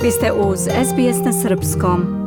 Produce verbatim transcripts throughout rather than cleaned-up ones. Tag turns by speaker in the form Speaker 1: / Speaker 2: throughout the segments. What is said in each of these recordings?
Speaker 1: Vi ste uz S B S na srpskom.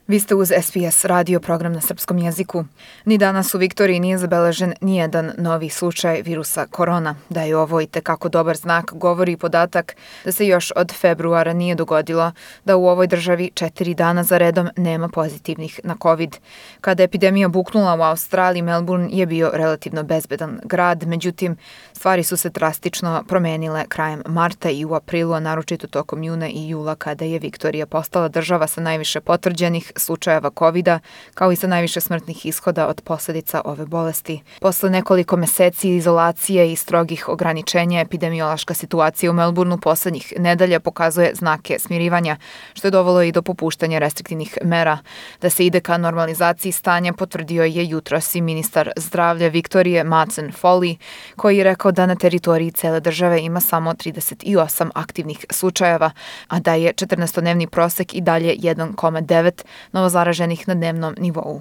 Speaker 2: Vi ste uz S B S radio program na srpskom jeziku. Ni danas u Viktoriji nije zabeležen nijedan novi slučaj virusa korona. Da je ovo i tekako dobar znak govori i podatak da se još od februara nije dogodilo da u ovoj državi četiri dana za redom nema pozitivnih na COVID. Kada je epidemija buknula u Australiji, Melbourne je bio relativno bezbedan grad, međutim stvari su se drastično promenile krajem marta i u aprilu, a naročito tokom juna i jula kada je Viktorija postala država sa najviše potvrđenih slučajeva kovida, kao i sa najviše smrtnih ishoda od posljedica ove bolesti. Posle nekoliko meseci izolacije i strogih ograničenja, epidemiološka situacija u Melbourneu poslednjih nedelja pokazuje znake smirivanja, što je dovelo i do popuštanja restriktivnih mera. Da se ide ka normalizaciji stanja potvrdio je jutros i ministar zdravlja Viktorije Madsen Foley, koji je rekao da na teritoriji cele države ima samo trideset osam aktivnih slučajeva, a da je četrnaestodnevni prosek i dalje jedan zarez devet novozaraženih na dnevnom nivou.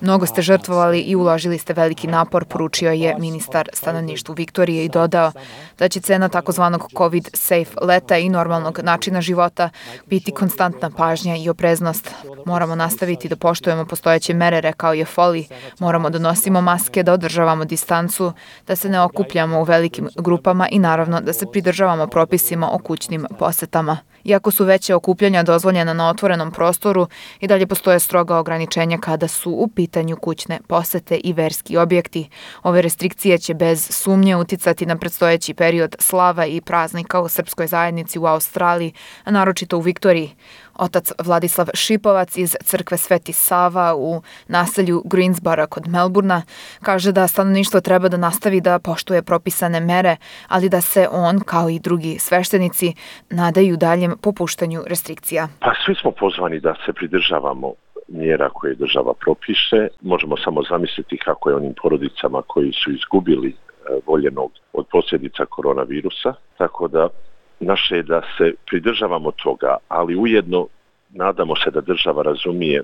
Speaker 2: Mnogo ste žrtvovali i uložili ste veliki napor, poručio je ministar stanovništvu Viktorije i dodao da će cena takozvanog COVID safe leta i normalnog načina života biti konstantna pažnja i opreznost. Moramo nastaviti da poštujemo postojeće mere, rekao je Foley. Moramo da nosimo maske, da održavamo distancu, da se ne okupljamo u velikim grupama i naravno da se pridržavamo propisima o kućnim posetama. Iako su veće okupljanja dozvoljena na otvorenom prostoru, i dalje postoje stroga ograničenja kada su u pitanju kućne posete i verski objekti. Ove restrikcije će bez sumnje uticati na predstojeći period slava i praznika u srpskoj zajednici u Australiji, a naročito u Viktoriji. Otac Vladislav Šipovac iz crkve Sveti Sava u naselju Greensboro kod Melbournea kaže da stanovništvo treba da nastavi da poštuje propisane mere, ali da se on, kao i drugi sveštenici, nadaju daljem popuštanju restrikcija.
Speaker 3: Pa svi smo pozvani da se pridržavamo mjera koje država propiše. Možemo samo zamisliti kako je onim porodicama koji su izgubili voljenog od posljedica koronavirusa, tako da naše je da se pridržavamo toga, ali ujedno nadamo se da država razumije e,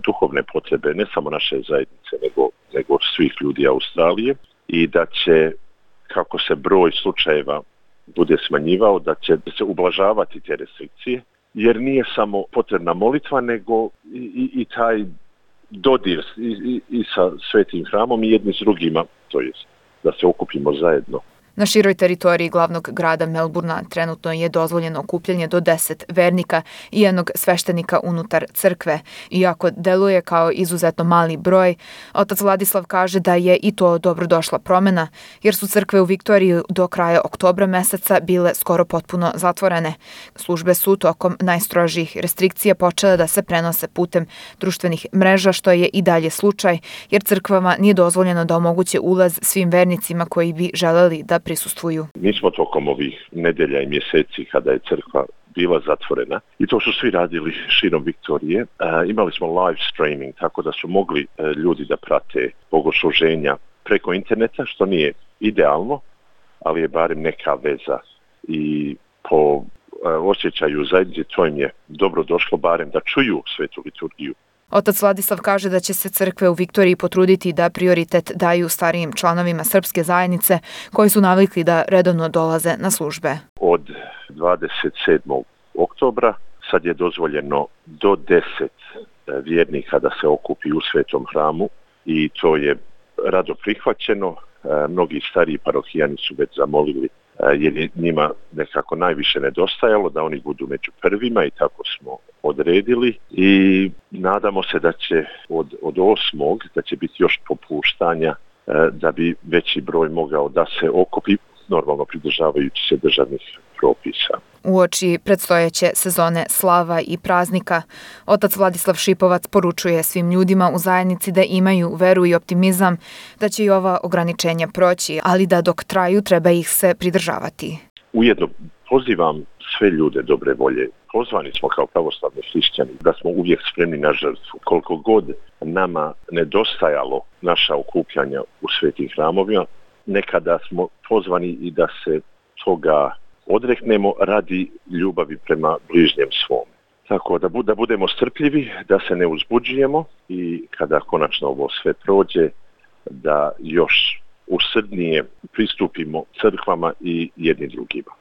Speaker 3: duhovne potrebe ne samo naše zajednice, nego, nego svih ljudi Australije i da će, kako se broj slučajeva bude smanjivao, da će se ublažavati te restrikcije, jer nije samo potrebna molitva, nego i, i, i taj dodir i, i, i sa svetim hramom i jedni s drugima, to jest da se okupimo zajedno.
Speaker 2: Na široj teritoriji glavnog grada Melbournea trenutno je dozvoljeno okupljanje do deset vernika i jednog sveštenika unutar crkve. Iako deluje kao izuzetno mali broj, otac Vladislav kaže da je i to dobrodošla promjena, jer su crkve u Viktoriji do kraja oktobra meseca bile skoro potpuno zatvorene. Službe su tokom najstrožijih restrikcija počele da se prenose putem društvenih mreža, što je i dalje slučaj, jer crkvama nije dozvoljeno da omoguće ulaz svim vernicima koji bi želeli da prisustvuju.
Speaker 3: Mi smo tokom ovih nedelja i mjeseci kada je crkva bila zatvorena i to su svi radili širom Viktorije. E, imali smo live streaming, tako da su mogli e, ljudi da prate bogosluženja preko interneta, što nije idealno, ali je barem neka veza i po e, osjećaju zajednice to im je dobro došlo barem da čuju svetu liturgiju.
Speaker 2: Otac Vladislav kaže da će se crkve u Viktoriji potruditi da prioritet daju starijim članovima srpske zajednice koji su navikli da redovno dolaze na službe.
Speaker 3: Od dvadeset sedmog oktobra sad je dozvoljeno do deset vjernika da se okupi u svetom hramu i to je rado prihvaćeno. Mnogi stariji parohijani su već zamolili jer je njima nekako najviše nedostajalo da oni budu među prvima i tako smo odredili i nadamo se da će od, od osmog da će biti još popuštanja da bi veći broj mogao da se okupi normalno pridržavajući se državnih propisa.
Speaker 2: Uoči predstojeće sezone slava i praznika, otac Vladislav Šipovac poručuje svim ljudima u zajednici da imaju veru i optimizam da će i ova ograničenja proći, ali da dok traju treba ih se pridržavati.
Speaker 3: Ujedno pozivam sve ljude dobre volje. Pozvani smo kao pravoslavni hrišćani da smo uvijek spremni na žrtvu. Koliko god nama nedostajalo naša okupljanja u svetim hramovima, nekada smo pozvani i da se toga odreknemo radi ljubavi prema bližnjem svom. Tako da, da budemo strpljivi, da se ne uzbuđujemo i kada konačno ovo sve prođe, da još usrdnije pristupimo crkvama i jedni drugima.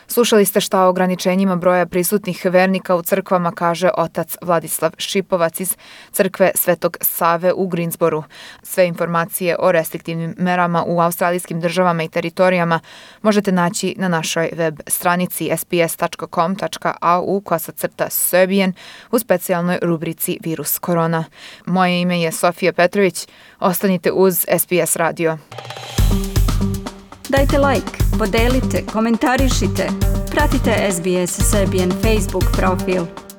Speaker 2: Slušali ste šta o ograničenjima broja prisutnih vernika u crkvama kaže otac Vladislav Šipovac iz crkve Svetog Save u Greensboru. Sve informacije o restriktivnim merama u australijskim državama i teritorijama možete naći na našoj web stranici s b s tačka com tačka a u kosacrta Serbian u specijalnoj rubrici Virus korona. Moje ime je Sofija Petrović. Ostanite uz S B S radio.
Speaker 1: Dajte like, podelite, komentarišite. Pratite S B S Serbian Facebook profil.